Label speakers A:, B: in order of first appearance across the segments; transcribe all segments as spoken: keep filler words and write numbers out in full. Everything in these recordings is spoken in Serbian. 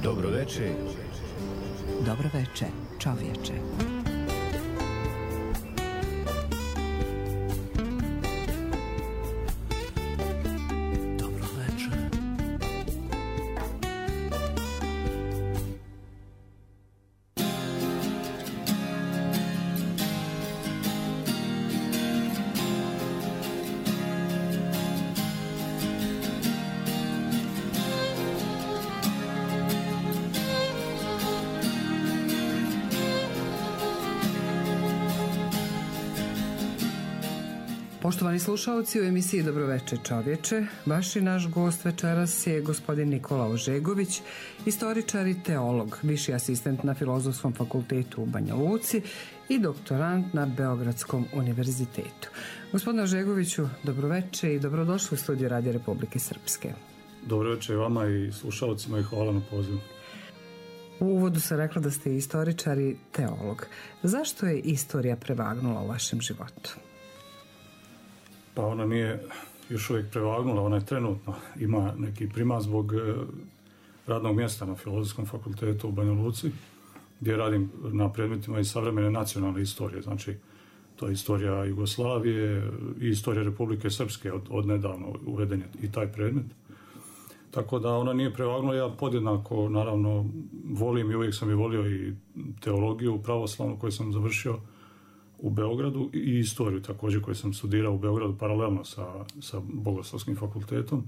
A: Dobro veče.
B: Dobro veče, čovječe.
C: Dobro veče.
B: Poštovani slušalci, u emisiji Dobro veče čovječe, vaš i naš gost večeras je gospodin Nikola Ožegović, istoričar i teolog, viši asistent na Filozofskom fakultetu u Banja Luci i doktorant na Beogradskom univerzitetu. Gospodine Ožegoviću, dobro veče i dobrodošli u studiju Radija Republike Srpske.
D: Dobro veče vama i slušalcima i hvala na pozivu.
B: U uvodu sam rekla da ste istoričar i teolog. Zašto je istorija prevagnula u vašem životu?
D: Pa ona nije još uvijek prevagnula, ona je trenutno, ima neki primat zbog radnog mjesta na Filozofskom fakultetu u Banja Luci, gdje radim na predmetima iz savremene nacionalne istorije, znači to je istorija Jugoslavije i istorija Republike Srpske, od, od nedavno uveden je i taj predmet. Tako da ona nije prevagnula, ja podjednako naravno volim i uvijek sam i volio i teologiju pravoslavnu koju sam završio u Beogradu i istoriju također koju sam studirao u Beogradu paralelno sa, sa Bogoslovskim fakultetom.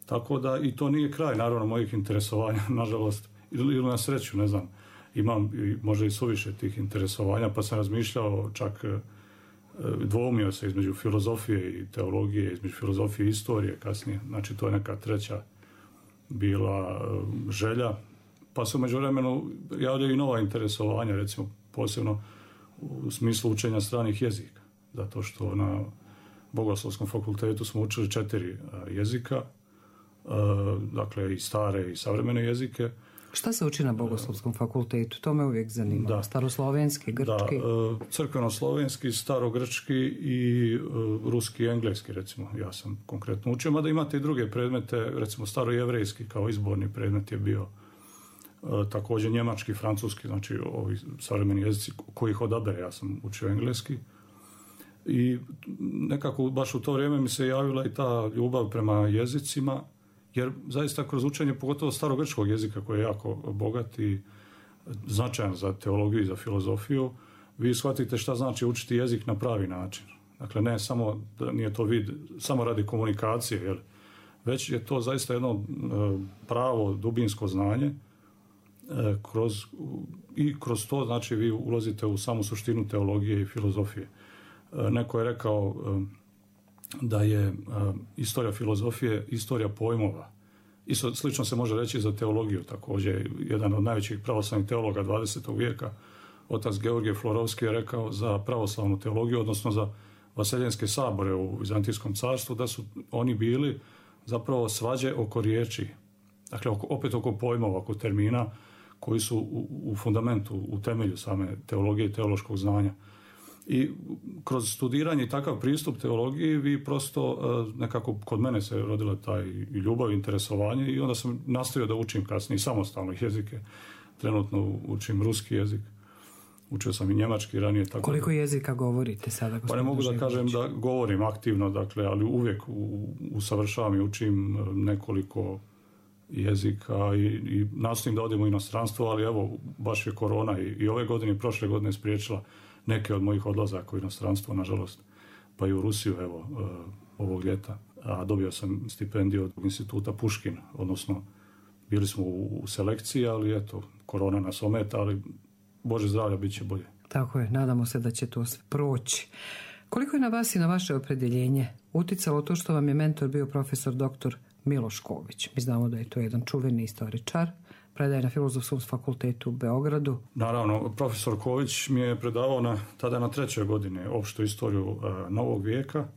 D: Tako da i to nije kraj naravno mojih interesovanja, nažalost, ili, ili na sreću, ne znam, imam i, možda i suviše tih interesovanja, pa sam razmišljao, čak e, dvoumio se između filozofije i teologije, između filozofije i istorije kasnije, znači to je neka treća bila e, želja, pa se u međuvremenu javljaju i nova interesovanja, recimo posebno u smislu učenja stranih jezika, zato što na Bogoslovskom fakultetu smo učili četiri jezika, dakle i stare i savremene jezike.
B: Šta se uči na Bogoslovskom fakultetu? To me uvijek zanima. Da. Staroslovenski, grčki?
D: Da, crkveno-slovenski, starogrčki i ruski i engleski, recimo, ja sam konkretno učio, mada imate i druge predmete, recimo starojevrejski kao izborni predmet je bio. E, također njemački, francuski, znači ovi savremeni jezici kojih odabere, ja sam učio engleski i nekako baš u to vrijeme mi se javila i ta ljubav prema jezicima, jer zaista kroz učenje pogotovo starogrčkog jezika koji je jako bogat i značajan za teologiju i za filozofiju, vi shvatite šta znači učiti jezik na pravi način. Dakle, ne samo da nije to vid samo radi komunikacije, jer već je to zaista jedno e, pravo dubinsko znanje. Kroz, i kroz to znači vi ulazite u samu suštinu teologije i filozofije. Neko je rekao da je istorija filozofije istorija pojmova. Isto slično se može reći za teologiju također. Jedan od najvećih pravoslavnih teologa dvadesetog vijeka, otac Georgije Florovski, je rekao za pravoslavnu teologiju, odnosno za vaseljenske sabore u Vizantijskom carstvu, da su oni bili zapravo svađe oko riječi. Dakle, oko, opet oko pojmova, oko termina koji su u, u fundamentu, u temelju same teologije i teološkog znanja. I kroz studiranje i takav pristup teologiji vi prosto nekako kod mene se rodila taj ljubav i interesovanje i onda sam nastavio da učim kasnije samostalno jezike. Trenutno učim ruski jezik. Učio sam i njemački ranije. Tako
B: Koliko da, jezika govorite sada?
D: Pa ne mogu da kažem da govorim aktivno, dakle, ali uvijek usavršavam i učim nekoliko jezika i, i nastojim da odem u inostranstvo, ali evo, baš je korona i, i ove godine i prošle godine spriječila neke od mojih odlazaka u inostranstvo, nažalost, pa i u Rusiju, evo, uh, ovog ljeta. A dobio sam stipendiju od instituta Puškin, odnosno bili smo u, u selekciji, ali eto, korona nas ometa, ali Bože zdravlja, bit će bolje.
B: Tako je, nadamo se da će to proći. Koliko je na vas i na vaše opredjeljenje uticalo to što vam je mentor bio profesor doktor Miloš Ković? Mi znamo da je to jedan čuveni istoričar, predaje na Filozofskom fakultetu u Beogradu.
D: Naravno, profesor Ković mi je predavao na, tada na trećoj godine opštu istoriju uh, novog vijeka,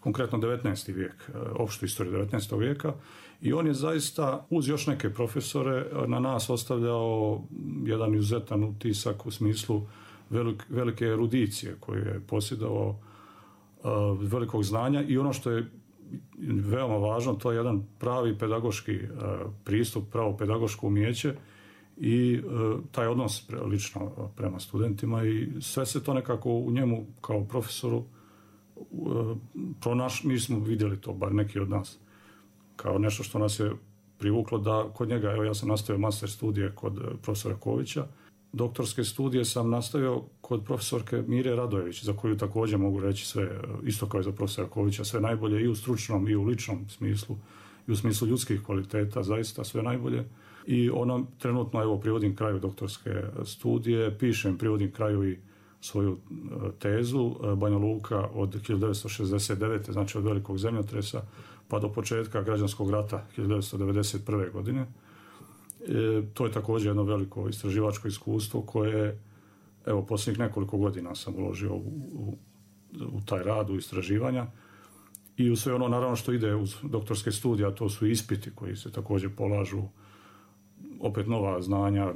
D: konkretno devetnaesti vijek, uh, opštu istoriju devetnaestog vijeka, i on je zaista uz još neke profesore na nas ostavljao jedan izuzetan utisak u smislu velik, velike erudicije koju je posjedovao, uh, velikog znanja, i ono što je veoma važno, to je jedan pravi pedagoški pristup, pravo pedagoško umijeće i taj odnos lično prema studentima i sve se to nekako u njemu kao profesoru pronaš, mi smo vidjeli to, bar neki od nas, kao nešto što nas je privuklo da kod njega, evo ja sam nastavio master studije kod profesora Kovića, doktorske studije sam nastavio kod profesorke Mire Radojević, za koju također mogu reći sve, isto kao i za profesora Kovića, sve najbolje i u stručnom i u ličnom smislu, i u smislu ljudskih kvaliteta, zaista sve najbolje. I ona trenutno, evo, privodim kraju doktorske studije, pišem, privodim kraju i svoju tezu Banja Luka od hiljadu devetsto šezdeset devete. znači od velikog zemljotresa pa do početka građanskog rata hiljadu devetsto devedeset prve. godine. E, to je također jedno veliko istraživačko iskustvo koje, evo, posljednjih nekoliko godina sam uložio u, u, u taj rad, u istraživanja i u sve ono, naravno, što ide uz doktorske studije, a to su ispiti koji se također polažu, opet nova znanja,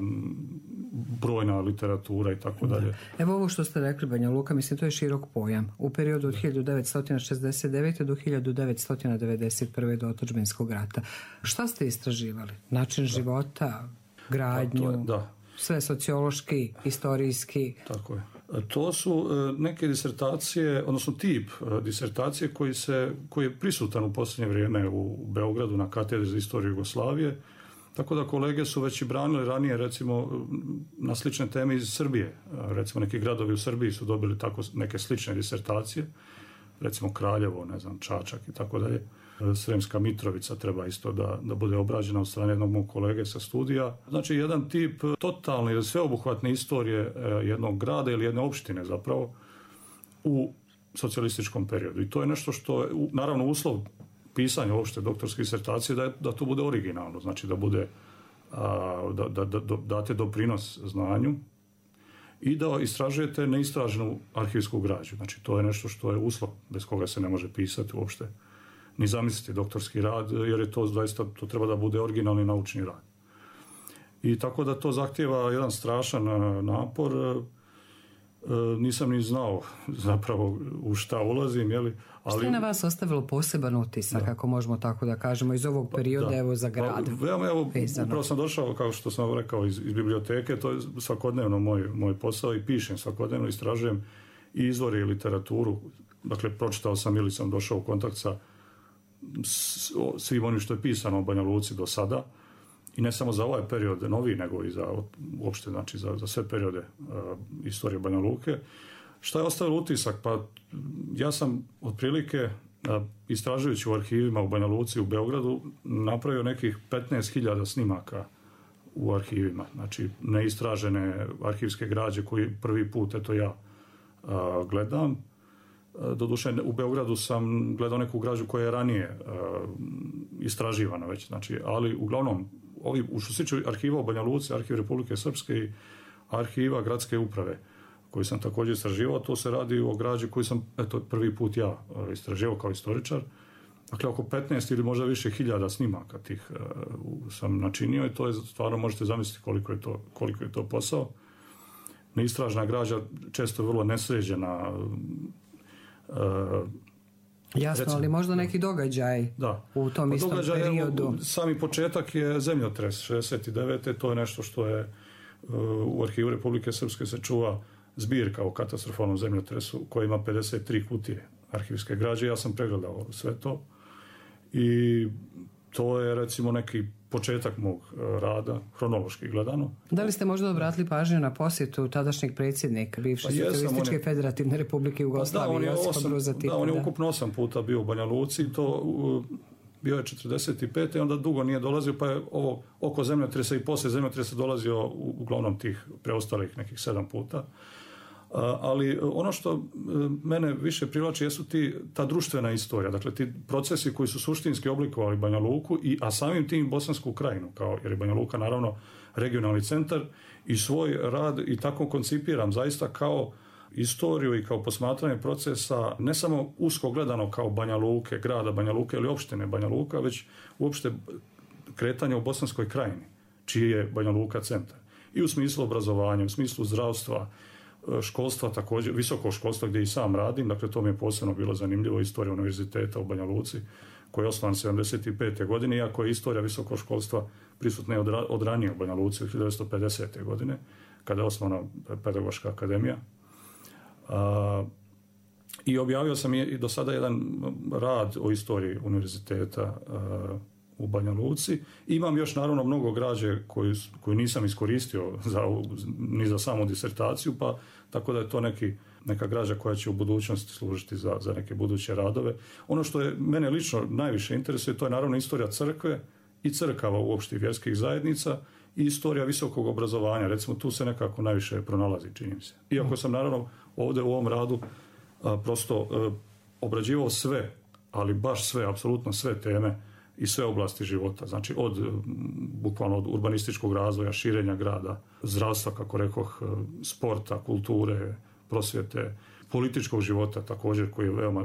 D: brojna literatura i tako dalje.
B: Evo ovo što ste rekli, Banja Luka, mislim, to je širok pojam. U periodu od hiljadu devetsto šezdeset devete. do hiljadu devetsto devedeset prve. do otadžbinskog rata. Šta ste istraživali? Način da. života, gradnju, da, je, da. sve sociološki, istorijski?
D: Tako je. To su neke disertacije, odnosno tip disertacije koji, se, koji je prisutan u posljednje vrijeme u Beogradu na katedri za istoriju Jugoslavije. Tako da kolege su već i branili ranije, recimo, na slične teme iz Srbije. Recimo, neki gradovi u Srbiji su dobili tako neke slične disertacije. Recimo, Kraljevo, ne znam, Čačak i tako dalje. Sremska Mitrovica treba isto da, da bude obrađena od strane jednog mog kolege sa studija. Znači, jedan tip totalne ili sveobuhvatne istorije jednog grada ili jedne opštine zapravo u socijalističkom periodu. I to je nešto što je, naravno, uslov pisanja uopšte doktorske disertacije da, je, da to bude originalno, znači da bude a, da, da, da, da date doprinos znanju i da istražujete neistraženu arhivsku građu. Znači, to je nešto što je uslov bez koga se ne može pisati uopšte ni zamisliti doktorski rad, jer je to zaista, to treba da bude originalni naučni rad. I tako da to zahtijeva jedan strašan napor. Nisam ni znao zapravo u šta ulazim, jeli, ali...
B: Što je na vas ostavilo poseban utisak, da. ako možemo tako da kažemo, iz ovog perioda, da. evo, za grad?
D: Pa, evo, evo upravo sam došao, kao što sam rekao, iz, iz biblioteke, to je svakodnevno moj, moj posao i pišem svakodnevno, istražujem i izvore i literaturu. Dakle, pročitao sam ili sam došao u kontakt sa svim onim što je pisano o Banja Luci do sada. I ne samo za ovaj period novi, nego i za uopšte, znači za, za sve periode uh, istorije Banja Luke. Šta je ostavilo utisak? Pa ja sam otprilike uh, istražujući u arhivima u Banja Luci u Beogradu napravio nekih petnaest hiljada snimaka u arhivima. Znači neistražene arhivske građe koji prvi put eto ja uh, gledam. Uh, doduše u Beogradu sam gledao neku građu koja je ranije uh, istraživana već, znači, ali uglavnom ovi, u što se tiče arhiva u Banja Luci, arhiv Republike Srpske i arhiva gradske uprave, koji sam također istraživao, to se radi o građi koji sam, eto, prvi put ja istraživao kao istoričar. Dakle, oko petnaest ili možda više hiljada snimaka tih uh, sam načinio i to je, stvarno možete zamisliti koliko je to, koliko je to posao. Neistražna građa često je vrlo nesređena. Uh,
B: Jasno, recimo, ali možda neki događaj
D: da.
B: u tom
D: pa
B: istom
D: događaj,
B: periodu.
D: Evo, sami početak je zemljotres šezdeset devete. To je nešto što je uh, u arhivu Republike Srpske se čuva zbirka o katastrofalnom zemljotresu koja ima pedeset tri kutije arhivske građe. Ja sam pregledao sve to i to je recimo neki početak mog rada, hronološki gledano.
B: Da li ste možda obratili pažnju na posjetu tadašnjeg predsjednika bivše pa Socijalističke je... federativne Republike Jugoslavije,
D: da,
B: Josipa Broza Tita?
D: Da, on je ukupno osam puta bio u Banja Luci i to uh, bio je četrdeset pete i onda dugo nije dolazio, pa je ovo oko zemljotresa i poslije zemljotresa dolazio u, uglavnom tih preostalih nekih sedam puta. Uh, ali ono što uh, mene više privlači jesu ti, ta društvena istorija, dakle ti procesi koji su suštinski oblikovali Banja Luku, i, a samim tim Bosansku krajinu, kao, jer je Banja Luka naravno regionalni centar i svoj rad i tako koncipiram zaista kao istoriju i kao posmatranje procesa, ne samo usko gledano kao Banja Luke, grada Banja Luke ili opštine Banja Luka, već uopšte kretanje u Bosanskoj krajini, čiji je Banja Luka centar. I u smislu obrazovanja, u smislu zdravstva, školstva također, visokog školstva gdje i sam radim, dakle to mi je posebno bilo zanimljivo, istorija univerziteta u Banja Luci, koji je osnovan sedamdeset pete godine, iako je istorija visokog školstva prisutna od, od ranije u Banja Luci, od hiljadu devetsto pedesete godine, kada je osnovana Pedagoška akademija. A, I objavio sam i do sada jedan rad o istoriji univerziteta a, u Banja Luci. Imam još naravno mnogo građe koju, koju nisam iskoristio za, ni za samu disertaciju, pa tako da je to neki, neka građa koja će u budućnosti služiti za, za neke buduće radove. Ono što je mene lično najviše interesuje, to je naravno istorija crkve i crkava uopšte vjerskih zajednica i istorija visokog obrazovanja. Recimo tu se nekako najviše pronalazi, čini mi se. Iako sam naravno ovdje u ovom radu a, prosto a, obrađivao sve, ali baš sve, apsolutno sve teme i sve oblasti života. Znači od bukvalno od urbanističkog razvoja, širenja grada, zdravstva, kako rekoh, sporta, kulture, prosvjete, političkog života također koji je veoma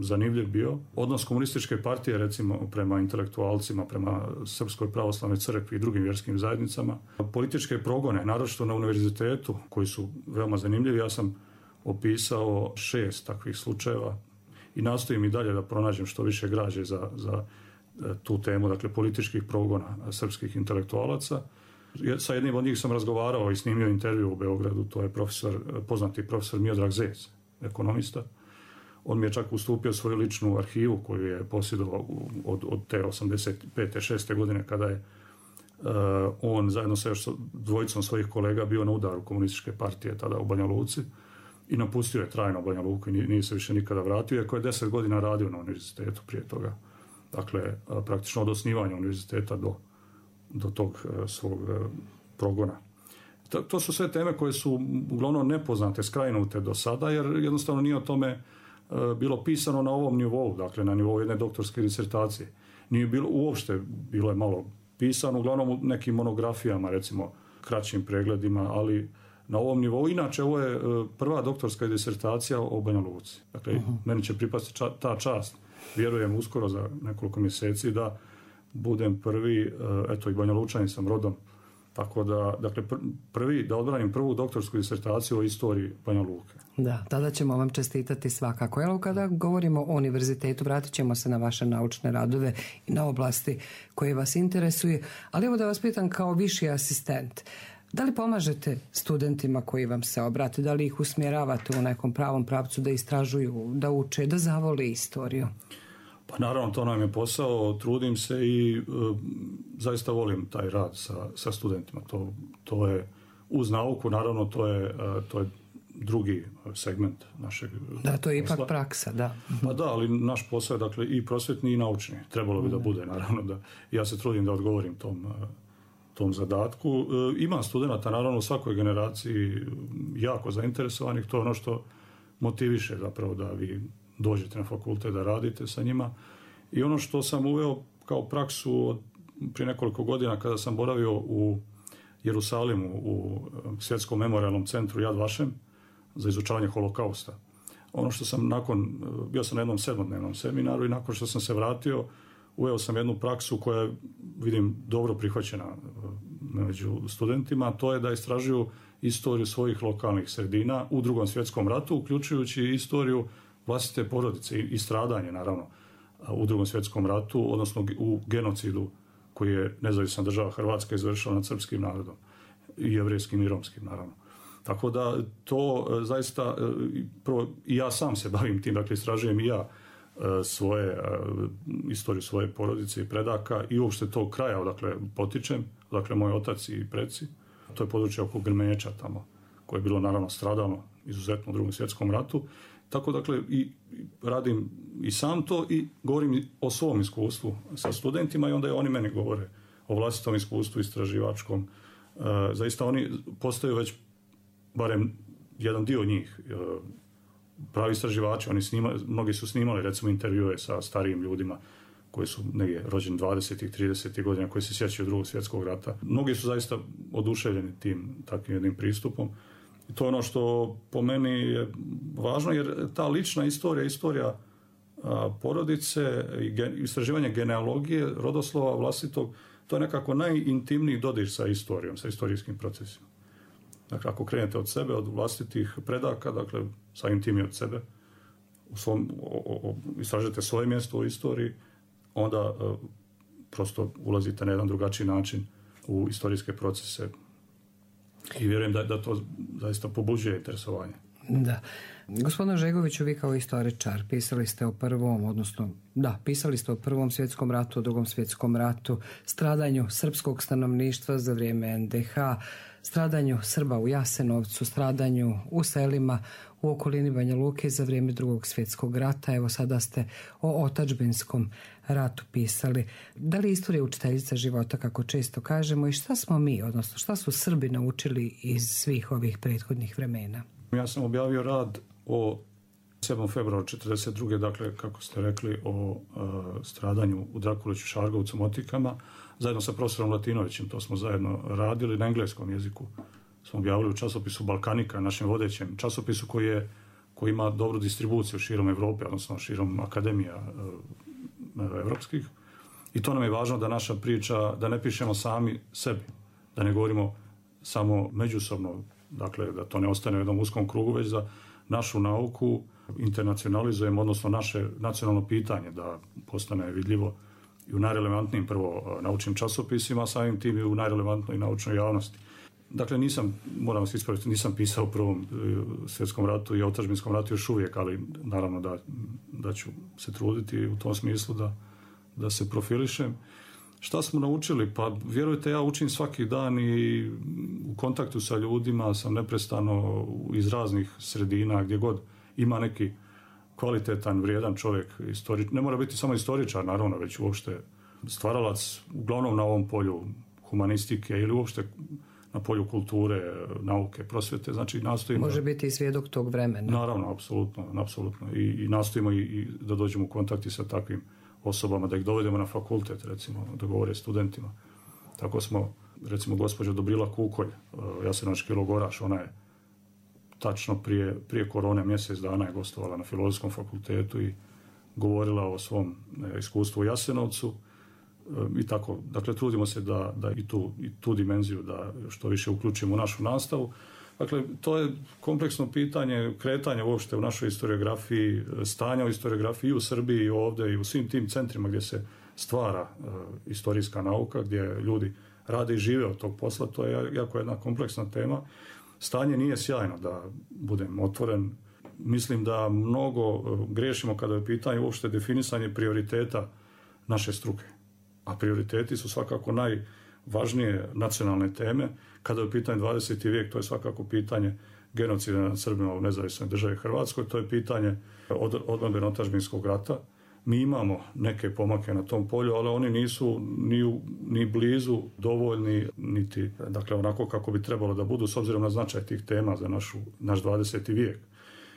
D: zanimljiv bio. Odnos komunističke partije recimo prema intelektualcima, prema Srpskoj pravoslavnoj crkvi i drugim vjerskim zajednicama. Političke progone, naročito na univerzitetu, koji su veoma zanimljivi. Ja sam opisao šest takvih slučajeva i nastojim i dalje da pronađem što više građe za, za tu temu, dakle političkih progona srpskih intelektualaca. Sa jednim od njih sam razgovarao i snimio intervju u Beogradu, to je profesor, poznati profesor Miodrag Zec, ekonomista. On mi je čak ustupio svoju ličnu arhivu koju je posjedovao od, od te osamdeset pete šeste godine kada je uh, on zajedno sa još dvojicom svojih kolega bio na udaru komunističke partije tada u Banja Luci i napustio je trajno Banja Luku i nije se više nikada vratio, iako je deset godina radio na univerzitetu prije toga. Dakle, praktično od osnivanja univerziteta do, do tog svog progona. To, to su sve teme koje su uglavnom nepoznate, skrajnute do sada, jer jednostavno nije o tome bilo pisano na ovom nivou, dakle na nivou jedne doktorske disertacije. Nije bilo, uopšte bilo je malo pisano, uglavnom u nekim monografijama, recimo kraćim pregledima, ali na ovom nivou. Inače, ovo je prva doktorska disertacija o Banja Luci. Dakle, uh-huh. Meni će pripasti ča, ta čast. Vjerujem uskoro za nekoliko mjeseci da budem prvi, eto i Banja Lučanin sam rodom, tako da, dakle, prvi, da odbranim prvu doktorsku disertaciju o istoriji Banja Luke.
B: Da, tada ćemo vam čestitati svakako. Evo, kada govorimo o univerzitetu, vratit ćemo se na vaše naučne radove i na oblasti koje vas interesuje, ali evo da vas pitam kao viši asistent, da li pomažete studentima koji vam se obrate, da li ih usmjeravate u nekom pravom pravcu da istražuju, da uče, da zavole istoriju?
D: Pa naravno, to nam je posao, trudim se i e, zaista volim taj rad sa, sa studentima. To, to je uz nauku, naravno, to je, e, to je drugi segment našeg
B: Da, to je
D: posla.
B: ipak praksa, da.
D: Pa da, ali naš posao je dakle i prosvjetni i naučni. Trebalo bi da bude, naravno, da ja se trudim da odgovorim tom tom zadatku. E, ima studenta, naravno, u svakoj generaciji jako zainteresovanih, to je ono što motiviše zapravo da vi dođete na fakultet, da radite sa njima. I ono što sam uveo kao praksu od prije nekoliko godina kada sam boravio u Jerusalimu u Svjetskom memorijalnom centru Yad Vashem za izučavanje holokausta. Ono što sam nakon, bio sam na jednom sedmodnevnom seminaru i nakon što sam se vratio, uveo sam jednu praksu koja je, vidim, dobro prihvaćena među studentima, to je da istražuju istoriju svojih lokalnih sredina u Drugom svjetskom ratu, uključujući istoriju vlastite porodice i stradanje, naravno, u Drugom svjetskom ratu, odnosno u genocidu koji je nezavisna država Hrvatska izvršila nad srpskim narodom i jevrejskim i romskim, naravno. Tako da to zaista, prvo, i ja sam se bavim tim, dakle istražujem i ja svoje, istoriju svoje porodice i predaka i uopšte tog kraja odakle potičem, dakle moj otac i preci. To je područje oko Grmenječa tamo, koje je bilo naravno stradalno izuzetno u Drugom svjetskom ratu. Tako dakle i radim i sam to i govorim o svom iskustvu sa studentima i onda je oni meni govore o vlastitom iskustvu istraživačkom. E, zaista oni postaju već, barem jedan dio njih, e, pravi istraživači. Oni snima, mnogi su snimali recimo intervjue sa starijim ljudima koji su negdje rođeni dvadesetih, tridesetih godina, koji se sjećaju Drugog svjetskog rata. Mnogi su zaista oduševljeni tim takvim jednim pristupom. I to je ono što po meni je važno, jer ta lična istorija, istorija a, porodice, istraživanje genealogije, rodoslova vlastitog, to je nekako najintimniji dodir sa istorijom, sa istorijskim procesima. Dakle, ako krenete od sebe, od vlastitih predaka, dakle, samim tim i od sebe, u svom, o, o, istražite svoje mjesto u istoriji, onda e, prosto ulazite na jedan drugačiji način u istorijske procese i vjerujem da, da to zaista pobuđuje interesovanje.
B: Da. Gospodine Žegoviću, vi kao istoričar pisali ste o prvom, odnosno da, pisali ste o prvom svjetskom ratu, o drugom svjetskom ratu, stradanju srpskog stanovništva za vrijeme en de ha, stradanju Srba u Jasenovcu, stradanju u selima u okolini Banja Luke za vrijeme drugog svjetskog rata. Evo sada ste o otadžbinskom ratu pisali. Da li istorija učiteljica života, kako često kažemo, i šta smo mi, odnosno šta su Srbi naučili iz svih ovih prethodnih vremena?
D: Ja sam objavio rad o sedmog februara četrdeset druge dakle, kako ste rekli, o e, stradanju u Drakuliću, Šargovcu, Motikama, zajedno sa profesorom Latinovićem. To smo zajedno radili na engleskom jeziku. Smo objavili u časopisu Balkanika, našem vodećem časopisu koji, je, koji ima dobru distribuciju širom Evrope, odnosno širom akademija e, evropskih. I to nam je važno da naša priča, da ne pišemo sami sebi, da ne govorimo samo međusobno, dakle, da to ne ostane u jednom uskom krugu, već da našu nauku internacionalizujemo, odnosno naše nacionalno pitanje da postane vidljivo i u najrelevantnijim prvo naučnim časopisima, samim tim i u najrelevantnoj naučnoj javnosti. Dakle, nisam, moram vas ispraviti, nisam pisao o prvom svjetskom ratu i otadžbinskom ratu još uvijek, ali naravno da, da ću se truditi u tom smislu da, da se profilišem. Šta smo naučili? Pa vjerujte, ja učim svaki dan i u kontaktu sa ljudima sam neprestano iz raznih sredina, gdje god ima neki kvalitetan, vrijedan čovjek, istori... ne mora biti samo istoričar, naravno, već uopšte stvaralac, uglavnom na ovom polju humanistike ili uopšte na polju kulture, nauke, prosvjete, znači nastojimo...
B: Može biti i svjedok tog vremena.
D: Naravno, apsolutno, apsolutno. I, i nastojimo i, i da dođemo u kontakti sa takvim osobama, da ih dovedemo na fakultet, recimo, da govore studentima. Tako smo, recimo, gospođa Dobrila Kukolj, jasenovački logoraš, ona je tačno prije, prije korone mjesec dana je gostovala na Filozofskom fakultetu i govorila o svom ne, iskustvu u Jasenovcu e, i tako. Dakle, trudimo se da, da i, tu, i tu dimenziju da što više uključimo u našu nastavu. Dakle, to je kompleksno pitanje kretanja uopšte u našoj historiografiji, stanja u historiografiji i u Srbiji i ovdje i u svim tim centrima gdje se stvara e, istorijska nauka, gdje ljudi rade i žive od tog posla. To je jako jedna kompleksna tema. Stanje nije sjajno, da budem otvoren. Mislim da mnogo griješimo kada je pitanje uopšte definisanje prioriteta naše struke. A prioriteti su svakako najvažnije nacionalne teme. Kada je u pitanju dvadeseti vijek, to je svakako pitanje genocida nad Srbima u nezavisnoj državi Hrvatskoj, to je pitanje od, odbrane otadžbinskog rata. Mi imamo neke pomake na tom polju, ali oni nisu ni, u, ni blizu dovoljni, niti dakle, onako kako bi trebalo da budu, s obzirom na značaj tih tema za našu, naš dvadeseti vijek.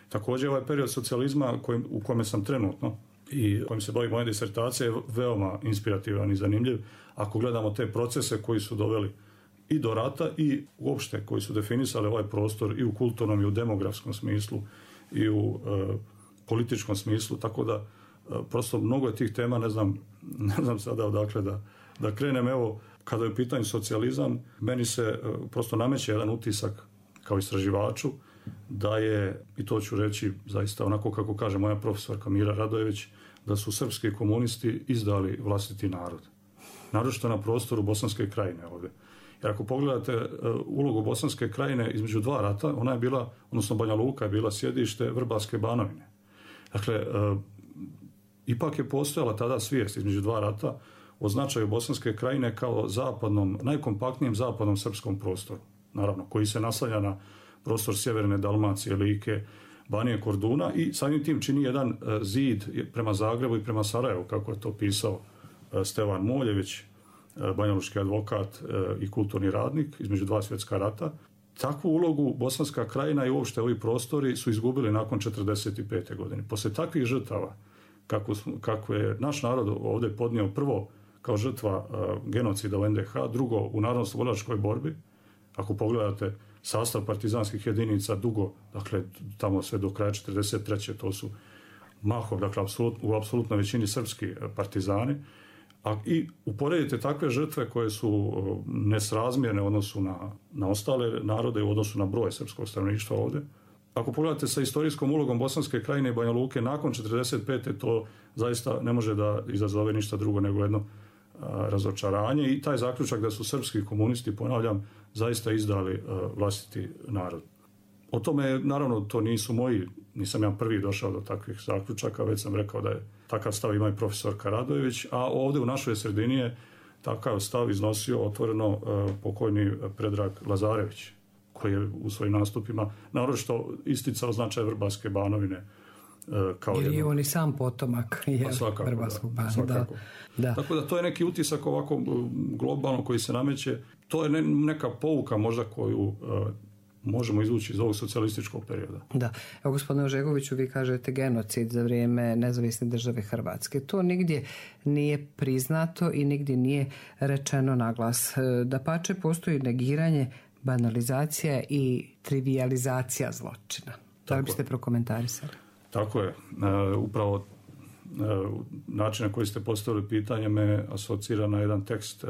D: Također, ovaj period socijalizma kojim, u kome sam trenutno i kojim se bavi moja disertacija je veoma inspirativan i zanimljiv. Ako gledamo te procese koji su doveli i do rata i uopšte koji su definisali ovaj prostor i u kulturnom i u demografskom smislu i u e, političkom smislu, tako da e, prosto mnogo je tih tema, ne znam, ne znam sada odakle da, da krenem. Evo, kada je u pitanju socijalizam, meni se e, prosto nameće jedan utisak kao istraživaču da je, i to ću reći zaista onako kako kaže moja profesorka Mira Radojević, da su srpski komunisti izdali vlastiti narod. Naročito na prostoru Bosanske krajine ovdje. Jer ako pogledate uh, ulogu Bosanske krajine između dva rata, ona je bila, odnosno Banja Luka je bila sjedište Vrbarske Banovine. Dakle, uh, ipak je postojala tada svijest između dva rata o značaju Bosanske krajine kao zapadnom, najkompaktnijem zapadnom srpskom prostoru. Naravno, koji se naslanja na prostor sjeverne Dalmacije, Like, Banije, Korduna i samim tim čini jedan uh, zid prema Zagrebu i prema Sarajevu, kako je to pisao uh, Stevan Moljević, banjalučki advokat i kulturni radnik između dva svjetska rata. Takvu ulogu Bosanska krajina i uopšte ovi prostori su izgubili nakon četrdeset pete godine. Poslije takvih žrtava, kako, kako je naš narod ovdje podnio prvo kao žrtva uh, genocida u en de ha, drugo u narodnooslobodilačkoj borbi, ako pogledate sastav partizanskih jedinica dugo, dakle tamo sve do kraja četrdeset treće to su mahom, dakle apsolut, u apsolutnoj većini srpski partizani, A i uporedite takve žrtve koje su nesrazmjerne u odnosu na, na ostale narode, u odnosu na broj srpskog stanovništva ovdje. Ako pogledate sa istorijskom ulogom Bosanske krajine i Banja Luke nakon četrdeset pete to zaista ne može da izazove ništa drugo nego jedno a, razočaranje i taj zaključak da su srpski komunisti, ponavljam, zaista izdali a, vlastiti narod. O tome, naravno, to nisu moji, nisam ja prvi došao do takvih zaključaka, već sam rekao da je takav stav ima i profesor Karadojević, a ovdje u našoj sredini je takav stav iznosio otvoreno uh, pokojni Predrag Lazarević, koji je u svojim nastupima naročito isticao značaj Vrbarske Banovine. Uh, kao
B: Jer je
D: jedno...
B: on i sam potomak je,
D: svakako,
B: Vrbarskog
D: da,
B: Bana. Da, da.
D: Tako da to je neki utisak ovako globalno koji se nameće. To je ne, neka pouka možda koju uh, možemo izvući iz ovog socijalističkog perioda.
B: Da. Evo, gospodine Ožegoviću, vi kažete genocid za vrijeme nezavisne države Hrvatske. To nigdje nije priznato i nigdje nije rečeno naglas. Dapače, postoji negiranje, banalizacija i trivijalizacija zločina. Da li biste prokomentarisali?
D: Tako je. E, upravo e, način na koji ste postavili pitanje me asocira na jedan tekst e,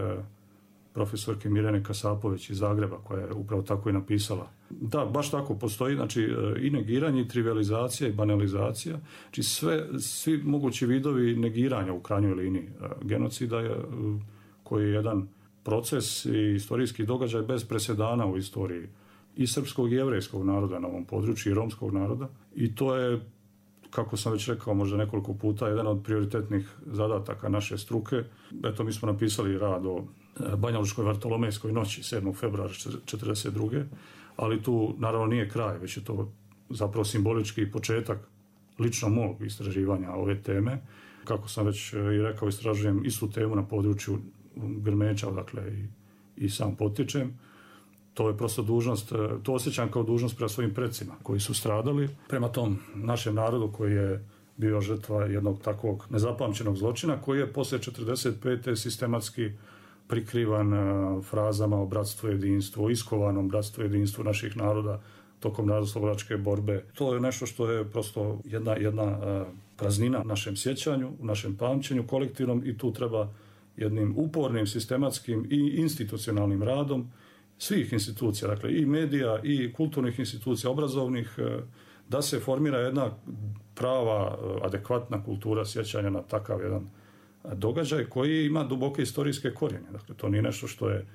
D: profesorke Mirjane Kasapović iz Zagreba, koja je upravo tako i napisala. Da, baš tako postoji, znači i negiranje, i trivializacija, i banalizacija, znači sve, svi mogući vidovi negiranja u krajnjoj liniji genocida je, koji je jedan proces i istorijski događaj bez presedana u istoriji i srpskog i jevrejskog naroda na ovom području i romskog naroda. I to je, kako sam već rekao možda nekoliko puta, jedan od prioritetnih zadataka naše struke. Eto, mi smo napisali rad o Banjalučkoj Vartolomejskoj noći sedmog februara četrdeset druge ali tu naravno nije kraj, već je to zapravo simbolički početak lično mog istraživanja ove teme. Kako sam već i rekao, istražujem istu temu na području Grmeča, dakle i, i sam potičem. To je prosto dužnost, to osjećam kao dužnost prema svojim predsima koji su stradali, prema tom našem narodu koji je bio žrtva jednog takvog nezapamćenog zločina koji je poslije četrdeset pete sistematski prikrivan frazama o bratstvu i jedinstvu, o iskovanom bratstvu i jedinstvu naših naroda tokom narodnooslobodilačke borbe. To je nešto što je prosto jedna, jedna praznina u našem sjećanju, u našem pamćenju kolektivnom i tu treba jednim upornim, sistematskim i institucionalnim radom svih institucija, dakle i medija i kulturnih institucija, obrazovnih, da se formira jedna prava, adekvatna kultura sjećanja na takav jedan događaj koji ima duboke istorijske korijene. Dakle, to nije nešto što je,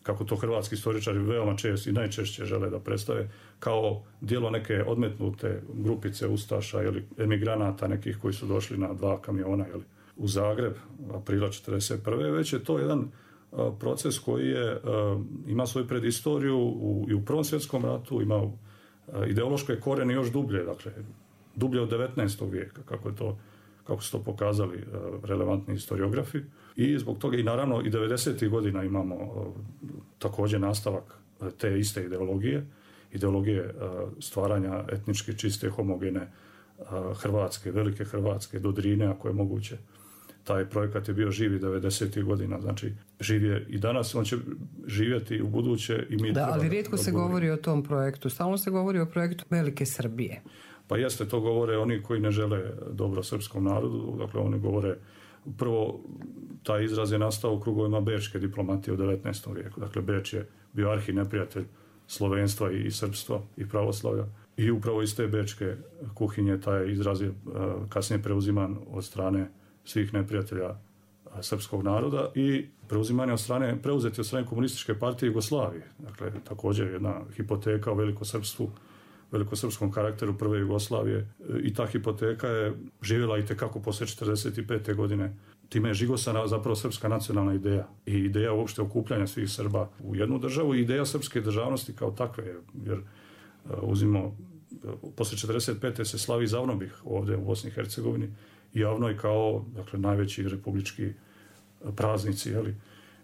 D: kako to hrvatski istoričari veoma često i najčešće žele da predstave, kao djelo neke odmetnute grupice ustaša ili emigranata nekih koji su došli na dva kamiona ili u Zagreb aprila četrdeset prve Već je to jedan a, proces koji je, a, ima svoju predistoriju u, i u Prvom svjetskom ratu, ima a, ideološke korijene još dublje, dakle, dublje od devetnaestog vijeka, kako je to kako su to pokazali uh, relevantni historiografi. I zbog toga i naravno i devedesetih godina imamo uh, također nastavak uh, te iste ideologije, ideologije uh, stvaranja etnički čiste, homogene uh, Hrvatske, velike Hrvatske, do Drine, ako je moguće. Taj projekat je bio živi devedesetih godina, znači živ je i danas, on će živjeti u buduće i mi...
B: Da, ali rijetko
D: da
B: se govori o tom projektu, stalno se govori o projektu Velike Srbije.
D: Pa jeste, to govore oni koji ne žele dobro srpskom narodu, dakle oni govore, prvo taj izraz je nastao u krugovima bečke diplomatije u devetnaestom vijeku, dakle Beč je bio arhi neprijatelj slovenstva i srpstva i pravoslavlja i upravo iz te bečke kuhinje taj izraz je kasnije preuziman od strane svih neprijatelja srpskog naroda i preuzimanje od strane, preuzeti od strane komunističke partije Jugoslavije, dakle također jedna hipoteka o velikosrpstvu, velikosrpskom karakteru prve Jugoslavije i ta hipoteka je živjela i tekako poslije četrdeset pete godine. Time je žigosana zapravo srpska nacionalna ideja i ideja uopšte okupljanja svih Srba u jednu državu i ideja srpske državnosti kao takve, jer uzimo, poslije četrdeset pete se slavi Zavnobih ovdje u Bosni i Hercegovini i Javnoj kao, dakle, najveći republički praznici, jeli?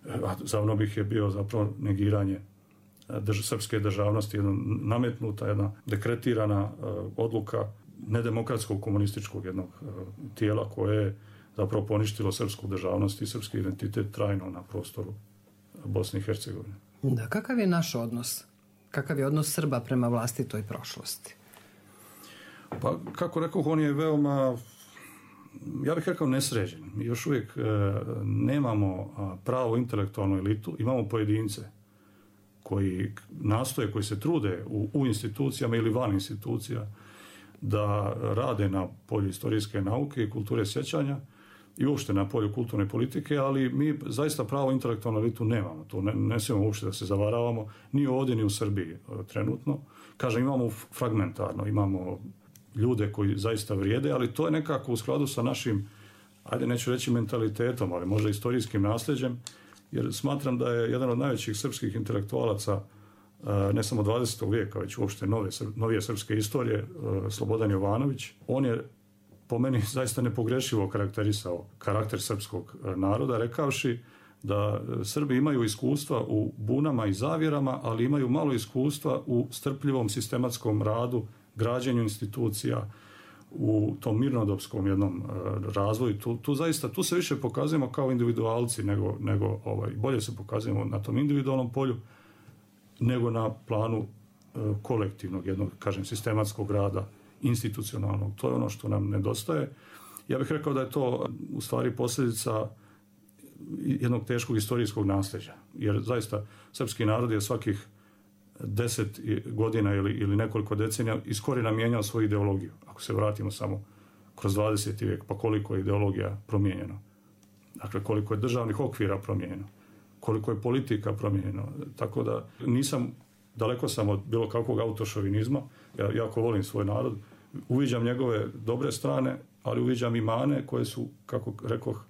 D: A Zavnobih je bio zapravo negiranje Drž, srpske državnosti, jedna nametnuta, jedna dekretirana uh, odluka nedemokratskog komunističkog jednog uh, tijela koje je zapravo poništilo srpsku državnost i srpski identitet trajno na prostoru Bosne i Hercegovine.
B: Da, kakav je naš odnos? Kakav je odnos Srba prema vlastitoj prošlosti?
D: Pa, kako rekao, on je veoma ja bih rekao, nesređen. Mi još uvijek e, nemamo pravu intelektualnu elitu, imamo pojedince koji nastoje, koji se trude u, u institucijama ili van institucija da rade na polju historijske nauke i kulture sjećanja i uopšte na polju kulturne politike, ali mi zaista pravo intelektualnu elitu nemamo. To ne, ne smijemo uopšte da se zavaravamo, ni ovdje, ni u Srbiji trenutno. Kažem, imamo fragmentarno, imamo ljude koji zaista vrijede, ali to je nekako u skladu sa našim, ajde neću reći mentalitetom, ali možda istorijskim nasljeđem, jer smatram da je jedan od najvećih srpskih intelektualaca, ne samo dvadesetog vijeka, već uopšte nove, novije srpske istorije, Slobodan Jovanović. On je po meni zaista nepogrešivo karakterisao karakter srpskog naroda, rekavši da Srbi imaju iskustva u bunama i zavjerama, ali imaju malo iskustva u strpljivom sistematskom radu, građenju institucija, u tom mirnodopskom jednom razvoju. Tu, tu zaista, tu se više pokazujemo kao individualci, nego, nego ovaj, bolje se pokazujemo na tom individualnom polju, nego na planu e, kolektivnog, jednog, kažem, sistematskog rada, institucionalnog. To je ono što nam nedostaje. Ja bih rekao da je to u stvari posljedica jednog teškog istorijskog nasljeđa. Jer zaista srpski narod je svakih deset godina ili, ili nekoliko decenija iz korijena mijenjao svoju ideologiju. Ako se vratimo samo kroz dvadeseti vijek, pa koliko je ideologija promijenjeno. Dakle, koliko je državnih okvira promijenjeno. Koliko je politika promijenjeno. Tako da nisam, daleko sam od bilo kakvog autošovinizma. Ja jako volim svoj narod. Uviđam njegove dobre strane, ali uviđam i mane koje su, kako rekoh,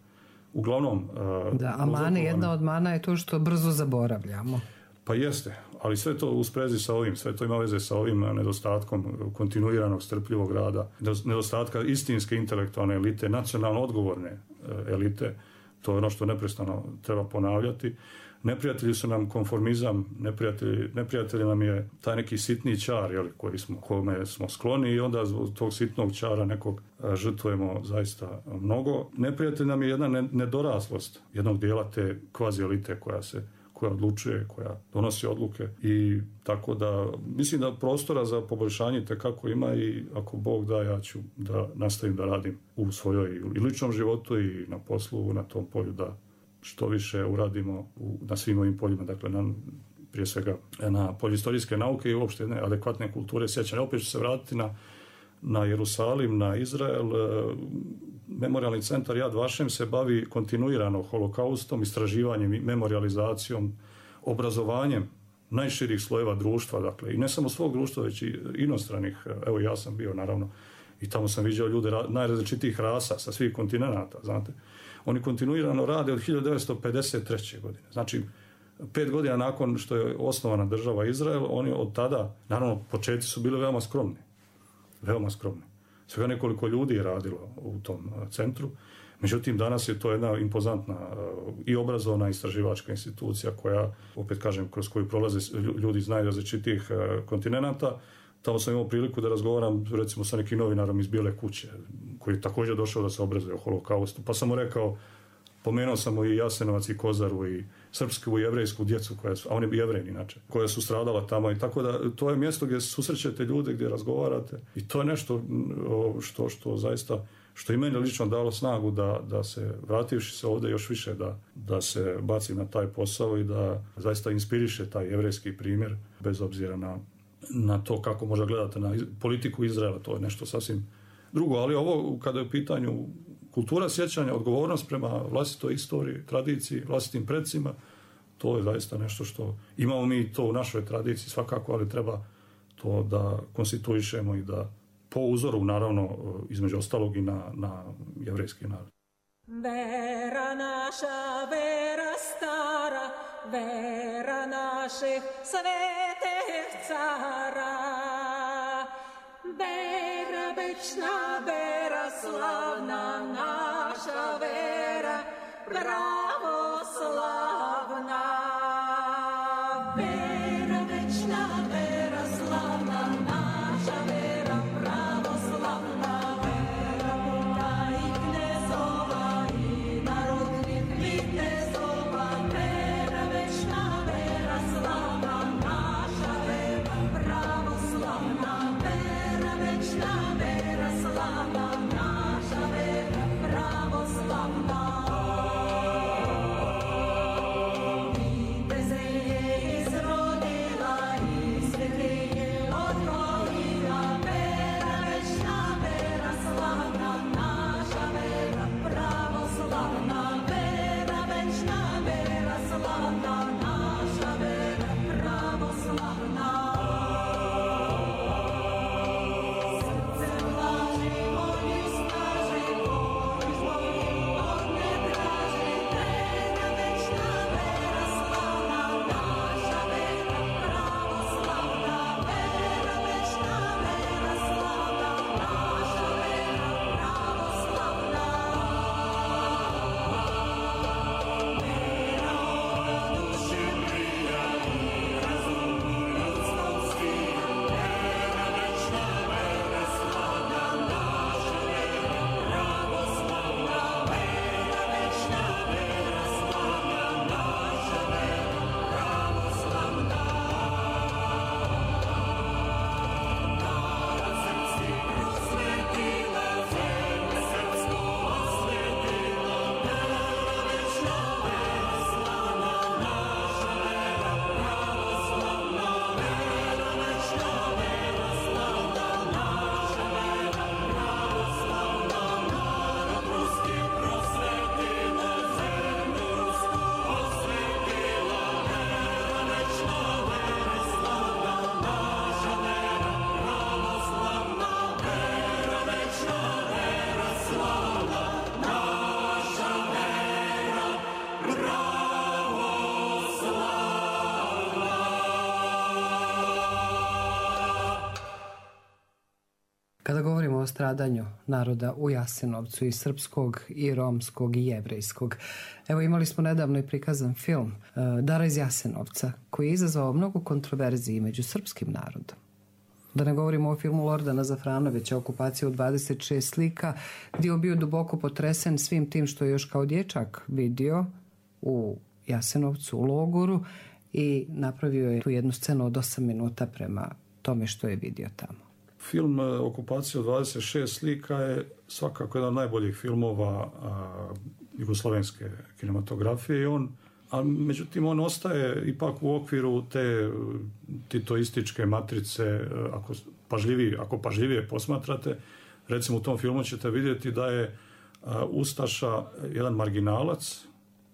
D: uglavnom...
B: Da, a mane, jedna od mana je to što brzo zaboravljamo.
D: Pa jeste, ali sve to u sprezi sa ovim, sve to ima veze sa ovim nedostatkom kontinuiranog strpljivog rada, nedostatka istinske intelektualne elite, nacionalno odgovorne elite. To je ono što neprestano treba ponavljati. Neprijatelji su nam konformizam, neprijatelji, neprijatelji nam je taj neki sitni čar, jel, koji smo, kome smo skloni, i onda zbog tog sitnog čara nekog žrtvujemo zaista mnogo. Neprijatelj nam je jedna nedoraslost jednog dijela te kvazi elite koja se koja odlučuje, koja donosi odluke, i tako da mislim da prostora za poboljšanje tekako ima, i ako Bog da, ja ću da nastavim da radim u svojoj i ličnom životu i na poslu na tom polju, da što više uradimo u, na svim ovim poljima, dakle na, prije svega na polju istorijske nauke i uopšte jedne adekvatne kulture sjećanja. Opet ću se vratiti na, na Jerusalim, na Izrael. Memorijalni centar Yad Vashem se bavi kontinuirano holokaustom, istraživanjem i memorializacijom, obrazovanjem najširih slojeva društva, dakle, i ne samo svog društva, već i inostranih. Evo, ja sam bio, naravno, i tamo sam viđao ljude najrazličitijih rasa sa svih kontinenata, znate. Oni kontinuirano rade od hiljadu devetsto pedeset treće godine. Znači, pet godina nakon što je osnovana država Izrael, oni od tada, naravno, početci su bili veoma skromni. Veoma skromni. Svega nekoliko ljudi je radilo u tom centru. Međutim, danas je to jedna impozantna i obrazovna istraživačka institucija koja, opet kažem, kroz koju prolaze ljudi iz najrazličitijih kontinenata. Tamo sam imao priliku da razgovaram, recimo, sa nekim novinarom iz Bijele kuće, koji je također došao da se obrazuje o holokaustu. Pa sam mu rekao, pomenuo sam mu i Jasenovac i Kozaru i srpsku i jevrejsku djecu, koja su, a oni bi jevrejni inače, koja su stradala tamo, i tako da to je mjesto gdje susrećete ljude, gdje razgovarate, i to je nešto što, što zaista, što i meni lično dalo snagu da, da se, vrativši se ovdje još više, da, da se baci na taj posao i da zaista inspiriše taj jevrejski primjer, bez obzira na, na to kako možda gledate na politiku Izraela. To je nešto sasvim drugo, ali ovo, kada je u pitanju kultura sjećanja, odgovornost prema vlastitoj istoriji, tradiciji, vlastitim predsima, to je zaista nešto što imamo mi to u našoj tradiciji svakako, ali treba to da konstituišemo i da po uzoru, naravno, između ostalog i na, na jevrejski narod.
A: Vera naša, vera stara, vera naših svetih cara, vera večna, vera slavna, naša vera pravoslavna. Vera večna, vera slavna, naša vera pravoslavna, vera puta i knezova i narodnih vitezova, vera večna, vera slavna, naša vera pravoslavna, vera večna, vera slavna, naša vera
B: Kada govorimo o stradanju naroda u Jasenovcu, i srpskog, i romskog, i jevrejskog, evo imali smo nedavno i prikazan film Dara iz Jasenovca, koji je izazvao mnogo kontroverziji među srpskim narodom. Da ne govorimo o filmu Lordana Zafranovića, Okupacija u dvadeset šest slika, gdje je bio duboko potresen svim tim što je još kao dječak vidio u Jasenovcu, u logoru, i napravio je tu jednu scenu od osam minuta prema tome što je vidio tamo.
D: Film Okupacija u dvadeset šest slika je svakako jedan od najboljih filmova a, jugoslovenske kinematografije i on, a međutim on ostaje ipak u okviru te titoističke matrice, ako pažljivije, ako pažljivije posmatrate, recimo u tom filmu ćete vidjeti da je a, Ustaša jedan marginalac,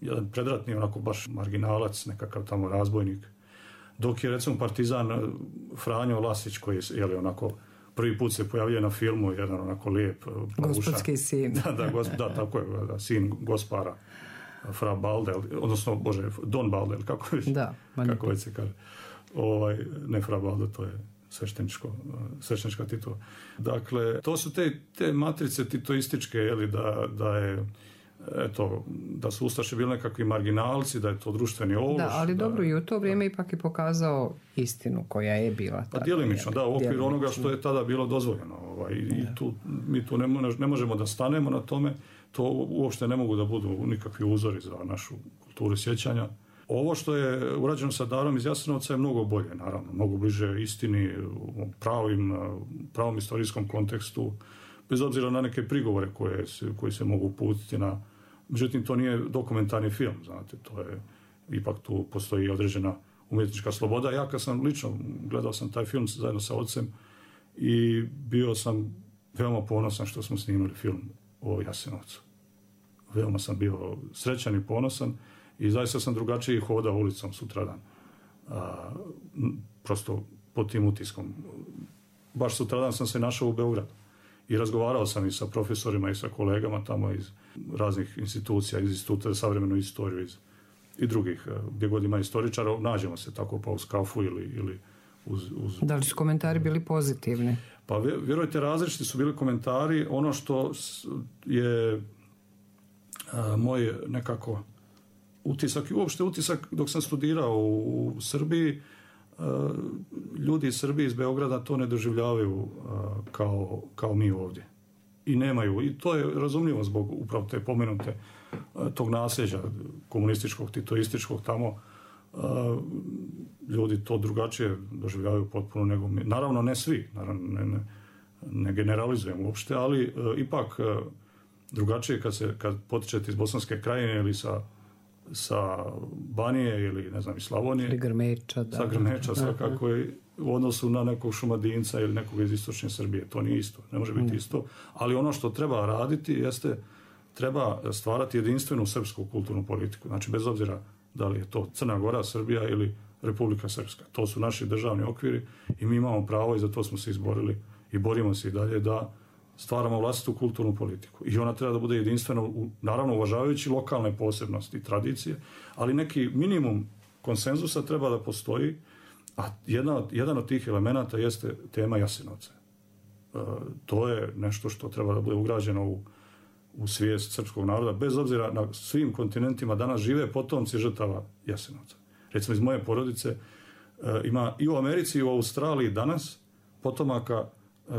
D: jedan predratni onako baš marginalac, nekakav tamo razbojnik, dok je recimo partizan Franjo Lasić, koji je jeli, onako prvi put se pojavljuje na filmu, jedan onako lijep
B: gospodski sin.
D: Da, da, gos, da, tako je, da, sin gospara Fra Baldel, odnosno, bože, Don Baldel, kako već,
B: da,
D: kako već se kaže. Ovaj, ne Fra Baldel, to je svešteničko, sveštenička titula. Dakle, to su te, te matrice titoističke, jeli, da, da je eto, da su Ustaše bili nekakvi marginalci, da je to društveni ološ.
B: Da, ali
D: da,
B: dobro, i u to vrijeme da. Ipak je pokazao istinu koja je bila.
D: Pa djelimično, da, u okviru onoga što je tada bilo dozvoljeno. Ovaj, i tu, mi tu ne, ne možemo da stanemo na tome, to uopšte ne mogu da budu nikakvi uzori za našu kulturu sjećanja. Ovo što je urađeno sa Darom iz Jasenovca je mnogo bolje, naravno, mnogo bliže istini, u pravim, pravom istorijskom kontekstu, bez obzira na neke prigovore koje se, koji se mogu uputiti na... Međutim, to nije dokumentarni film, znate, to je... Ipak tu postoji određena umjetnička sloboda. Ja kad sam lično gledao sam taj film zajedno sa ocem i bio sam veoma ponosan što smo snimali film o Jasenovcu. Veoma sam bio srećan i ponosan i zaista sam drugačije hodao ulicom sutradan. A, prosto pod tim utiskom. Baš sutradan sam se našao u Beogradu. I razgovarao sam i sa profesorima i sa kolegama tamo iz raznih institucija, iz Instituta za savremenu istoriju iz, i drugih, gdje god ima istoričara, nađemo se tako pa uz kafu ili, ili uz, uz...
B: Da li su komentari bili pozitivni?
D: Pa vjerujte, različiti su bili komentari. Ono što je a, moj nekako utisak i uopšte utisak dok sam studirao u, u Srbiji, ljudi iz Srbije, iz Beograda to ne doživljavaju kao, kao mi ovdje. I nemaju. I to je razumljivo zbog upravo te pomenute tog nasljeđa komunističkog, titoističkog tamo. Ljudi to drugačije doživljavaju potpuno nego mi. Naravno ne svi, naravno ne, ne, ne generalizujem uopšte, ali ipak drugačije kad, se, kad potičete iz Bosanske krajine ili sa sa Banije ili ne znam iz Slavonije.
B: Ili Grmeča, da.
D: Sa Grmeča svakako je u odnosu na nekog Šumadinca ili nekog iz istočne Srbije. To nije isto, ne može biti mm. isto. Ali ono što treba raditi jeste treba stvarati jedinstvenu srpsku kulturnu politiku. Znači bez obzira da li je to Crna Gora, Srbija ili Republika Srpska. To su naši državni okviri i mi imamo pravo i za to smo se izborili i borimo se i dalje da stvaramo vlastitu kulturnu politiku. I ona treba da bude jedinstvena, naravno uvažavajući lokalne posebnosti i tradicije, ali neki minimum konsenzusa treba da postoji, a jedna, jedan od tih elemenata jeste tema Jasenovca. E, to je nešto što treba da bude ugrađeno u, u svijest srpskog naroda, bez obzira na svim kontinentima danas žive potomci žrtava Jasenovca. Recimo iz moje porodice e, ima i u Americi i u Australiji danas potomaka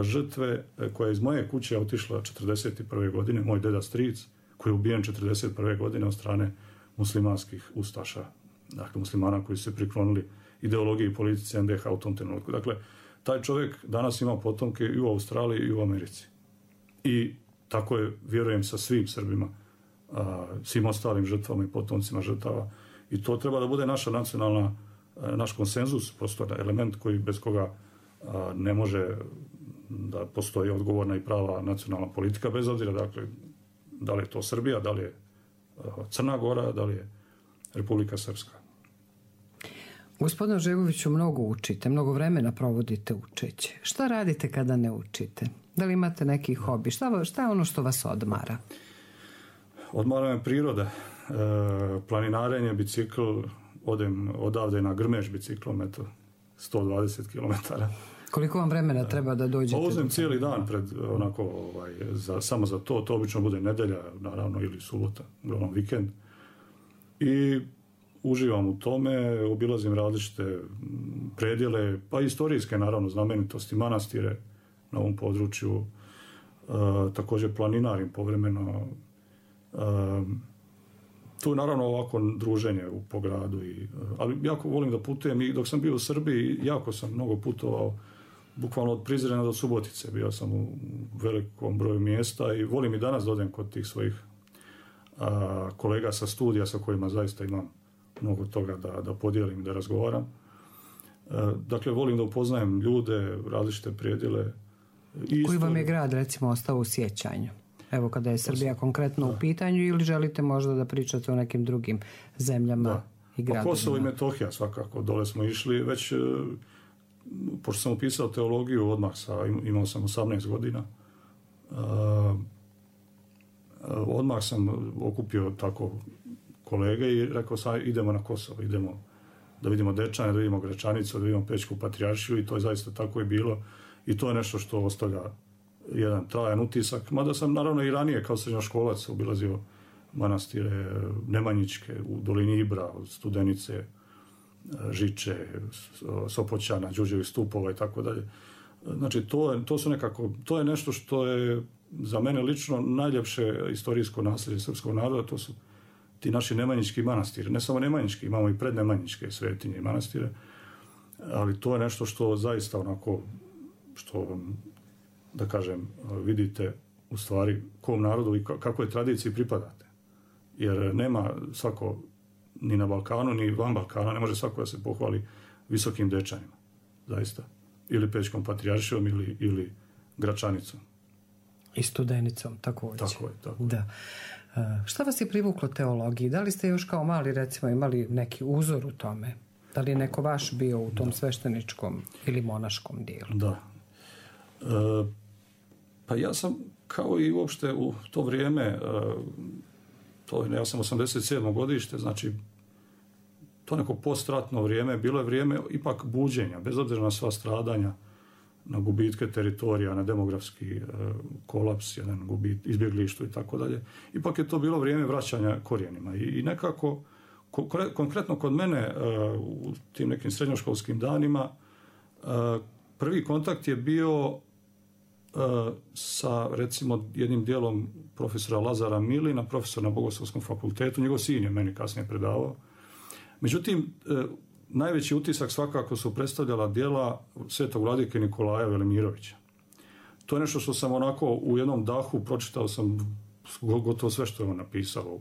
D: žrtve koja je iz moje kuće otišla četrdeset prve godine, moj deda stric, koji je ubijen četrdeset prve godine od strane muslimanskih ustaša, dakle muslimana koji su se priklonili ideologiji i politici en de ha u tom trenutku. Dakle, taj čovjek danas ima potomke i u Australiji i u Americi. I tako je, vjerujem, sa svim Srbima, a, svim ostalim žrtvama i potomcima žrtava. I to treba da bude naša nacionalna, a, naš konsenzus, prosto element koji bez koga a, ne može da postoji odgovorna i prava nacionalna politika, bez obzira, dakle, da li je to Srbija, da li je Crna Gora, da li je Republika Srpska.
B: Gospodine Ožegoviću, mnogo učite, mnogo vremena provodite učeći. Šta radite kada ne učite? Da li imate neki hobi? Šta, šta je ono što vas odmara?
D: Odmara me priroda. E, planinarenje, bicikl, odem odavde na Grmeš biciklom, eto, sto dvadeset kilometara.
B: Koliko vam vremena treba da dođete?
D: Pa uzmem cijeli dan pred, onako, ovaj, za, samo za to, to obično bude nedelja, naravno, ili subota, uglavnom vikend. I uživam u tome, obilazim različite predjele, pa istorijske, naravno, znamenitosti, manastire na ovom području, e, također planinarim povremeno. E, tu naravno ovako druženje u po gradu, i, ali jako volim da putujem i dok sam bio u Srbiji, jako sam mnogo putovao, bukvalno od Prizrena do Subotice, bio sam u velikom broju mjesta i volim i danas da odem kod tih svojih a, kolega sa studija sa kojima zaista imam mnogo toga da, da podijelim, da razgovaram. A, dakle, volim da upoznajem ljude, različite predjele.
B: Koji vam je grad, recimo, ostao u sjećanju? Evo, kada je Srbija konkretno da. u pitanju, ili želite možda da pričate o nekim drugim zemljama da. i gradovima?
D: Pa Kosovo i Metohija svakako, dole smo išli, već pošto sam upisao teologiju odmah sa, imao sam osamnaest godina, uh, odmah sam okupio tako kolege i rekao sam idemo na Kosovo, idemo da vidimo Dečane, da vidimo Gračanicu, da vidimo Pećku patrijaršiju, i to je zaista tako i bilo, i to je nešto što ostavlja jedan trajan utisak, mada sam naravno i ranije kao srednjoškolac obilazio manastire Nemanjićke u dolini Ibra, od Studenice, Žiče, Sopoćana, Đurđevih stupova i tako dalje. Znači, to je, to su nekako, to je nešto što je za mene lično najljepše istorijsko nasljeđe srpskog naroda, to su ti naši nemanjički manastiri. Ne samo nemanjički, imamo i prednemanjičke svetinje i manastire, ali to je nešto što zaista onako, što, da kažem, vidite u stvari kom narodu i kakvoj tradiciji pripadate. Jer nema svako, ni na Balkanu, ni van Balkana, ne može svako da se pohvali visokim Dečanima, zaista. Ili Pećkom patrijaršijom, ili, ili Gračanicom.
B: I Studenicom, također.
D: Tako je, tako.
B: Da. Šta vas je privuklo teologiji? Da li ste još kao mali, recimo, imali neki uzor u tome? Da li je neko vaš bio u tom da. svešteničkom ili monaškom dijelu?
D: Da. E, pa ja sam, kao i uopšte u to vrijeme, e, to je, ja sam osamdeset sedmo godište, znači to neko postratno vrijeme, bilo je vrijeme ipak buđenja, bez obzira na sva stradanja, na gubitke teritorija, na demografski e, kolaps, jedan gubit, izbjeglištvo i tako dalje. Ipak je to bilo vrijeme vraćanja korijenima. I, i nekako, ko, konkretno kod mene, e, u tim nekim srednjoškolskim danima, e, prvi kontakt je bio e, sa, recimo, jednim dijelom profesora Lazara Milina, profesor na Bogoslovskom fakultetu. Njegov sin je meni kasnije predavao. Međutim, e, najveći utisak svakako su predstavljala djela svetog vladike Nikolaja Velimirovića. To je nešto što sam onako u jednom dahu pročitao sam gotovo sve što je on napisao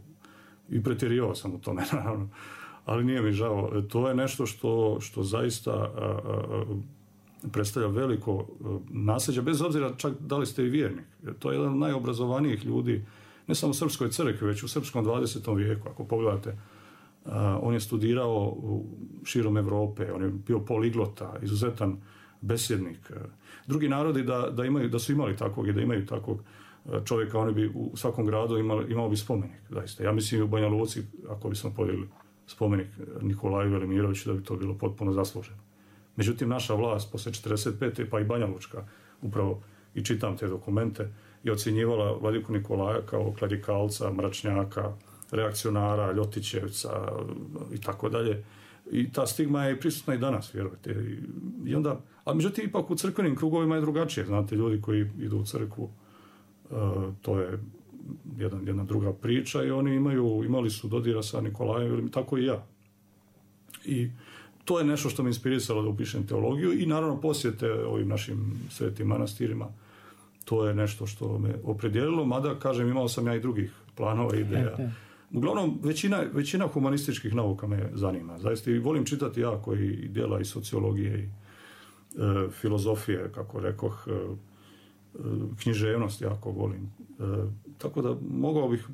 D: i pretjerivao sam u tome, naravno, ali nije mi žao. To je nešto što, što zaista a, a, predstavlja veliko a, nasljeđe, bez obzira čak da li ste i vjernik. To je jedan od najobrazovanijih ljudi, ne samo u srpskoj crkvi, već u srpskom dvadesetom vijeku. Ako pogledate, Uh, on je studirao širom Evrope, on je bio poliglota, izuzetan besjednik. Uh, drugi narodi da, da, imaju, da su imali takvog i da imaju takvog uh, čovjeka, oni bi u svakom gradu imali, imao bi spomenik. Zaista. Ja mislim u Banja Luci, ako bismo podigli spomenik Nikolaju Velimiroviću, da bi to bilo potpuno zasluženo. Međutim, naša vlast posle četrdeset pete pa i Banja Lučka, upravo i čitam te dokumente, je ocjenjivala vladiku Nikolaja kao klerikalca, mračnjaka, reakcionara, Ljotićevca i tako dalje. I ta stigma je prisutna i danas, vjerujete. I onda, a međutim, ipak u crkvenim krugovima je drugačije. Znate, ljudi koji idu u crkvu, uh, to je jedan, jedna druga priča i oni imaju, imali su dodira sa Nikolajem, tako i ja. I to je nešto što me inspirisalo da upišem teologiju i naravno posjete ovim našim svetim manastirima. To je nešto što me opredijelilo, mada, kažem, imao sam ja i drugih planova i ideja. Uglavnom, većina, većina humanističkih nauka me zanima. Zaista i volim čitati jako i djela i sociologije i e, filozofije, kako rekoh, e, književnost jako volim. E, tako da mogao bih,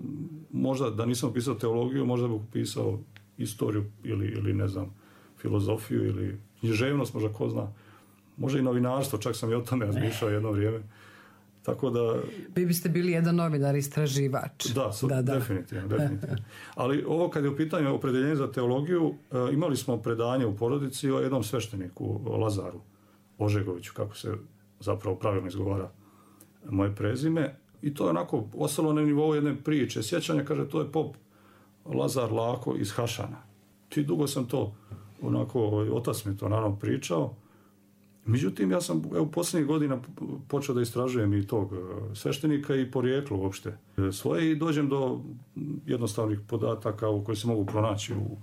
D: možda da nisam pisao teologiju, možda bih pisao istoriju ili, ili ne znam, filozofiju ili književnost, možda ko zna. Možda i novinarstvo, čak sam i o tome razmišljao jedno vrijeme. Tako da...
B: Vi biste bili jedan novinar, istraživač.
D: Da, su, da, da. definitivno, definitivno. Ali ovo kad je u pitanju opredeljenje za teologiju, imali smo predanje u porodici o jednom svešteniku, o Lazaru, Ožegoviću, kako se zapravo pravilno izgovara moje prezime. I to je onako ostalo na nivou jedne priče. Sjećanja, kaže, to je pop Lazar Lako iz Hašana. I dugo sam to, onako, otac mi to naravno pričao. Međutim, ja sam evo, posljednjih godina počeo da istražujem i tog sveštenika i porijeklo uopšte svoje i dođem do jednostavnih podataka u koji se mogu pronaći u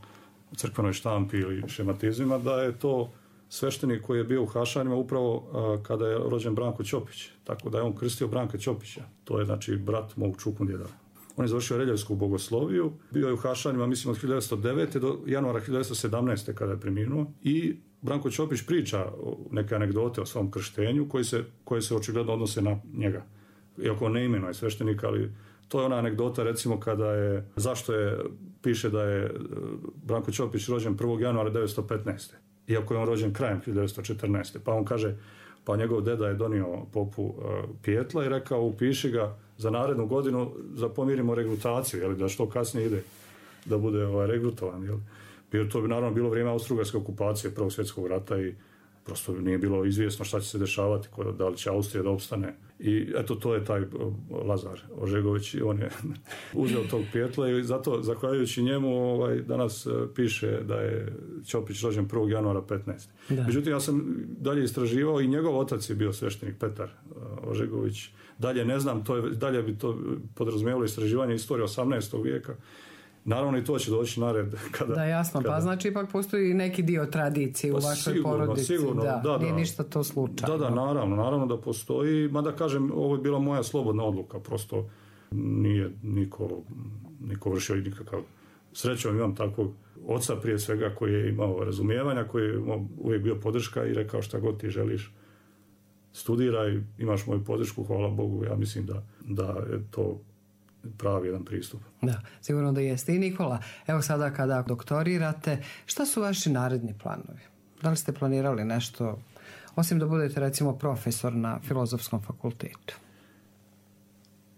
D: crkvenoj štampi ili šematizmima, da je to sveštenik koji je bio u Hašanima upravo a, kada je rođen Branko Ćopić. Tako da je on krstio Branka Ćopića. To je, znači, brat mog čukundjeda. On je završio Reljevsku bogosloviju, bio je u Hašanima, mislim, od hiljadu devetsto devete do januara hiljadu devetsto sedamnaeste kada je preminuo. I Branko Ćopić priča neke anegdote o svom krštenju koje se, koje se očigledno odnose na njega. Iako ne imenuje sveštenika, ali to je ona anegdota, recimo, kada je, zašto je, piše da je Branko Ćopić rođen prvog januara hiljadu devetsto petnaeste. Iako je on rođen krajem hiljadu devetsto četrnaeste. Pa on kaže, pa njegov deda je donio popu uh, pijetla i rekao, upiši ga za narednu godinu, za pomirimo regrutaciju, jeli, da što kasnije ide da bude ovaj, regrutovan. Jeli. Jer to bi naravno bilo vrijeme austrougarske okupacije Prvog svjetskog rata i prosto nije bilo izvjesno šta će se dešavati, da li će Austrija da opstane. I eto, to je taj Lazar Ožegović, on je uzeo tog pijetla i zato, zahvaljujući njemu, ovaj, danas piše da je Ćopić rođen prvog januara petnaeste. Da. Međutim, ja sam dalje istraživao i njegov otac je bio sveštenik Petar Ožegović. Dalje ne znam, to je, dalje bi to podrazumijevalo istraživanje istorije osamnaestog vijeka. Naravno i to će doći na red. Kada,
B: da, jasno, kada... pa znači ipak postoji neki dio tradicije pa u vašoj sigurno, porodici. Sigurno, da, da, nije da. Ništa to slučajno.
D: Da, da, naravno, naravno da postoji, mada kažem, ovo je bila moja slobodna odluka, prosto nije niko, niko vršio nikakav. Srećom imam takvog oca prije svega koji je imao razumijevanja, koji je uvijek bio podrška i rekao šta god ti želiš, studiraj, imaš moju podršku, hvala Bogu, ja mislim da, da je to pravi jedan pristup.
B: Da, sigurno da jeste. I Nikola, evo sada kada doktorirate, šta su vaši naredni planovi? Da li ste planirali nešto, osim da budete recimo profesor na Filozofskom fakultetu?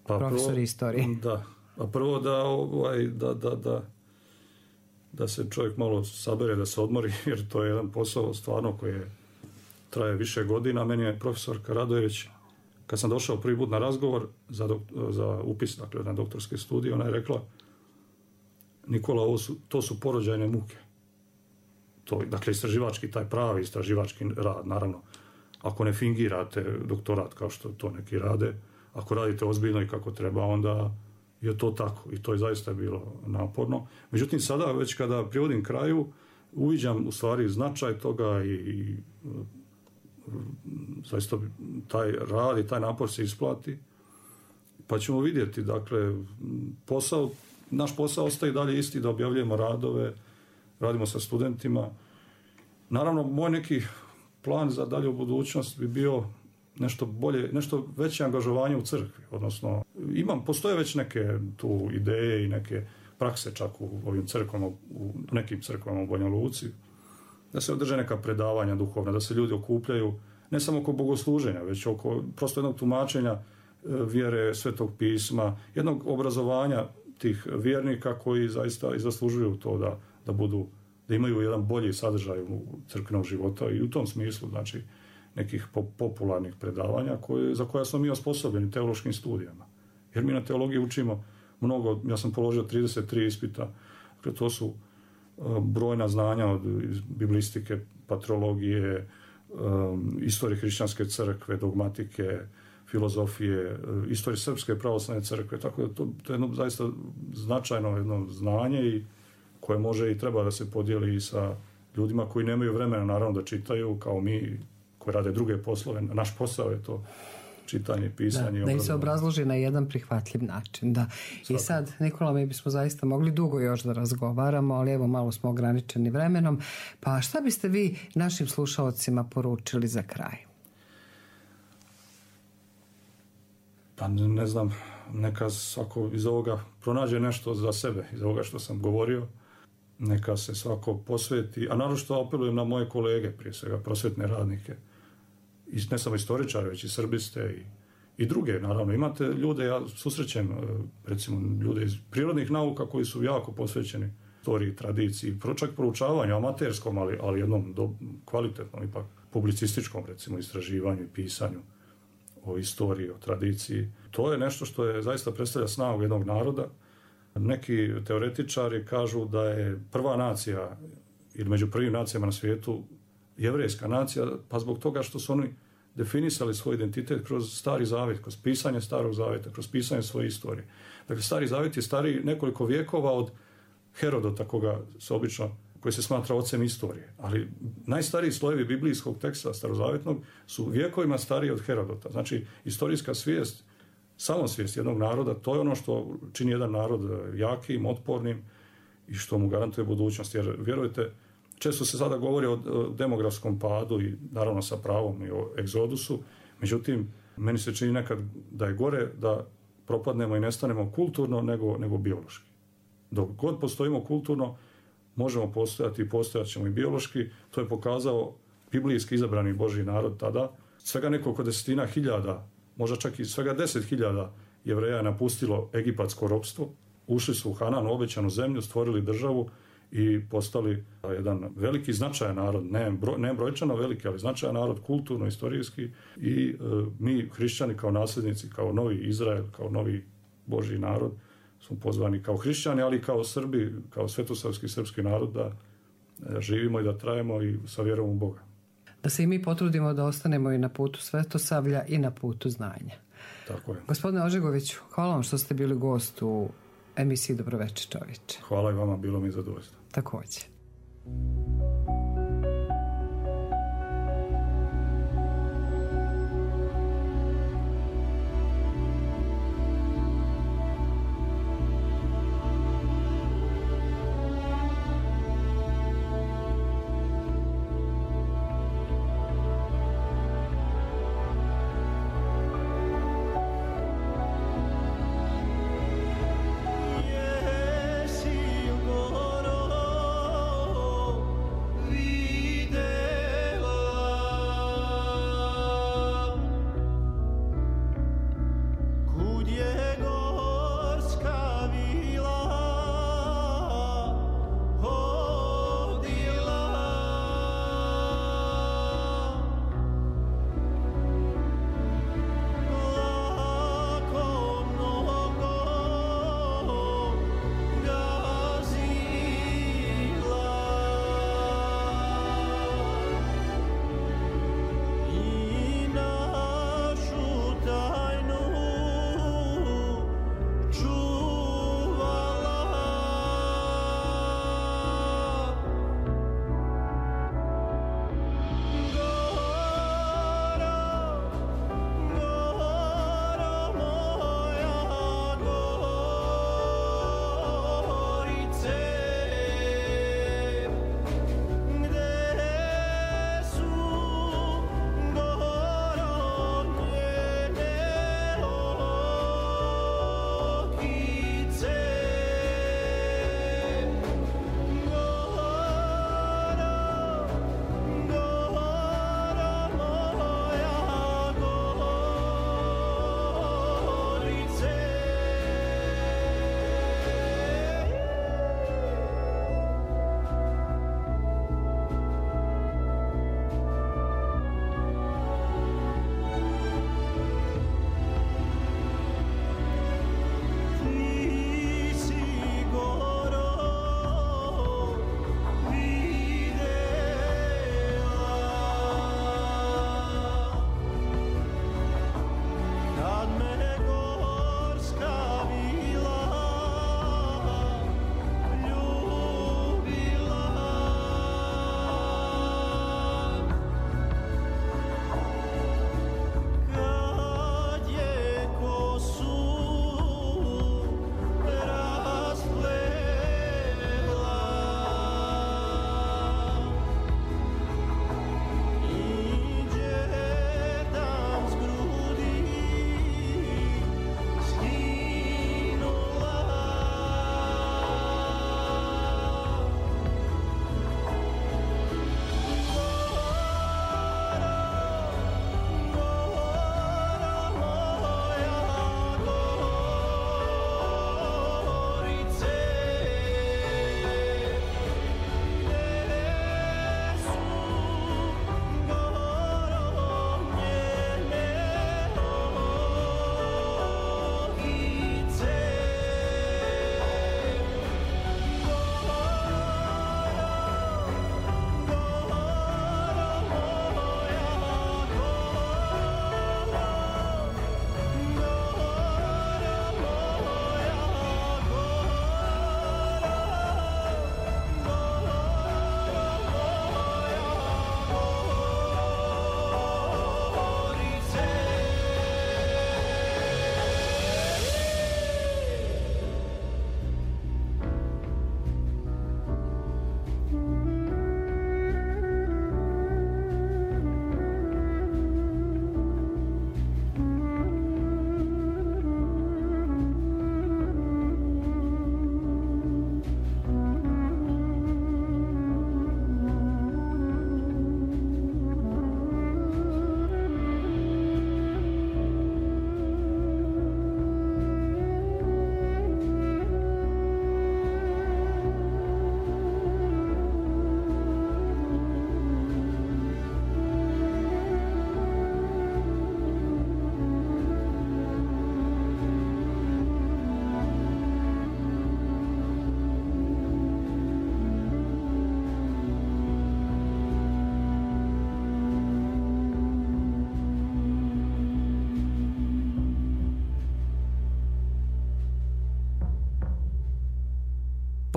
D: Pa
B: profesor
D: prvo,
B: istorije.
D: Da, a prvo da, ovaj, da, da, da, da se čovjek malo sabere, da se odmori, jer to je jedan posao stvarno koji je, traje više godina. Meni je profesorka Radojević, kad sam došao prvi put na razgovor za, dok, za upis, dakle, na doktorske studije, ona je rekla, Nikola, ovo su, to su porođajne muke. To, dakle, istraživački, taj pravi istraživački rad, naravno, ako ne fingirate doktorat kao što to neki rade, ako radite ozbiljno i kako treba, onda je to tako. I to je zaista bilo naporno. Međutim, sada, već kada privodim kraju, uviđam u stvari značaj toga i, i zaista taj rad i taj napor se isplati, pa ćemo vidjeti, dakle, posao, naš posao ostaje dalje isti, da objavljujemo radove, radimo sa studentima. Naravno, moj neki plan za dalju budućnost bi bio nešto bolje, nešto veće angažovanje u crkvi, odnosno, imam, postoje već neke tu ideje i neke prakse čak u ovim crkvama, u nekim crkvama u Banja Luci, da se održe neka predavanja duhovna, da se ljudi okupljaju, ne samo oko bogosluženja, već oko prosto jednog tumačenja vjere, Svetog pisma, jednog obrazovanja tih vjernika koji zaista i zaslužuju to da, da budu, da imaju jedan bolji sadržaj u crkvenog života i u tom smislu, znači, nekih popularnih predavanja koje, za koja smo mi osposobljeni teološkim studijama. Jer mi na teologiji učimo mnogo, ja sam položio trideset tri ispita, dakle to su brojna znanja od biblistike, patrologije, um, istorije hrišćanske crkve, dogmatike, filozofije, istorije srpske pravoslavne crkve, tako da to, to je jedno zaista značajno jedno znanje i koje može i treba da se podijeli i sa ljudima koji nemaju vremena naravno da čitaju kao mi koji rade druge poslove. Naš posao je to čitanje, pisanje.
B: Da, da im se obrazloži na jedan prihvatljiv način. Da. I sad, Nikola, mi bismo zaista mogli dugo još da razgovaramo, ali evo malo smo ograničeni vremenom. Pa šta biste vi našim slušalcima poručili za kraj?
D: Pa ne znam, neka svako iz ovoga pronađe nešto za sebe, iz ovoga što sam govorio. Neka se svako posveti, a naročito apelujem na moje kolege, prije svega prosvetne radnike, i ne samo istoričare, već i srbiste i, i druge, naravno. Imate ljude, ja susrećem, recimo, ljude iz prirodnih nauka koji su jako posvećeni istoriji, tradiciji, čak proučavanju, amaterskom, ali, ali jednom do, kvalitetnom, ipak publicističkom, recimo, istraživanju i pisanju o istoriji, o tradiciji. To je nešto što je zaista predstavlja snagu jednog naroda. Neki teoretičari kažu da je prva nacija, ili među prvim nacijama na svijetu, jevrejska nacija, pa zbog toga što su oni definisali svoj identitet kroz Stari Zavet, kroz pisanje Starog Zaveta, kroz pisanje svoje istorije. Dakle, Stari Zavet je stariji nekoliko vijekova od Herodota, koga se obično, koji se smatra ocem istorije. Ali najstariji slojevi biblijskog teksta starozavetnog su vjekovima stariji od Herodota. Znači, istorijska svijest, samosvijest jednog naroda, to je ono što čini jedan narod jakim, otpornim i što mu garantuje budućnost. Jer, vjerujte, često se sada govori o demografskom padu i naravno sa pravom i o egzodusu, međutim, meni se čini nekad da je gore da propadnemo i nestanemo kulturno nego, nego biološki. Dok god postojimo kulturno, možemo postojati i postojat ćemo i biološki. To je pokazao biblijski izabrani Božji narod tada. Svega nekoliko desetina hiljada, možda čak i svega deset hiljada Jevreja je napustilo egipatsko ropstvo, ušli su u Hanan, obećanu zemlju, stvorili državu i postali jedan veliki značajan narod, ne, bro, ne brojčano veliki, ali značajan narod, kulturno, istorijski i e, mi, hrišćani, kao nasljednici, kao novi Izrael, kao novi Božji narod, smo pozvani kao hrišćani, ali i kao Srbi, kao svetosavski srpski narod da e, živimo i da trajemo i sa vjerom u Boga.
B: Da se i mi potrudimo da ostanemo i na putu svetosavlja i na putu znanja.
D: Tako je.
B: Gospodine Ožegoviću, hvala vam što ste bili gost u emisiji Dobroveče čovječe.
D: Hvala i vama, bilo mi zadovoljstvo.
B: Također.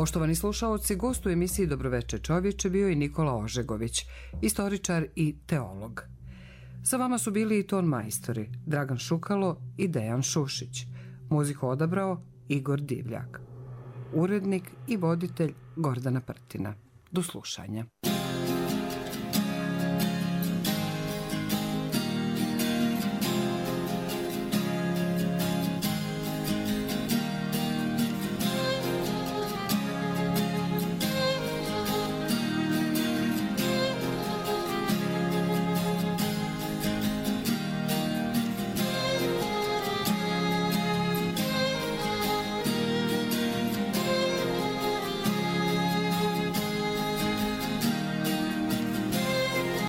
B: Poštovani slušaoci, gost u emisiji Dobroveče čovječe bio i Nikola Ožegović, istoričar i teolog. Sa vama su bili i ton majstori Dragan Šukalo i Dejan Šušić. Muziku odabrao Igor Divljak. Urednik i voditelj Gordana Prtina. Do slušanja.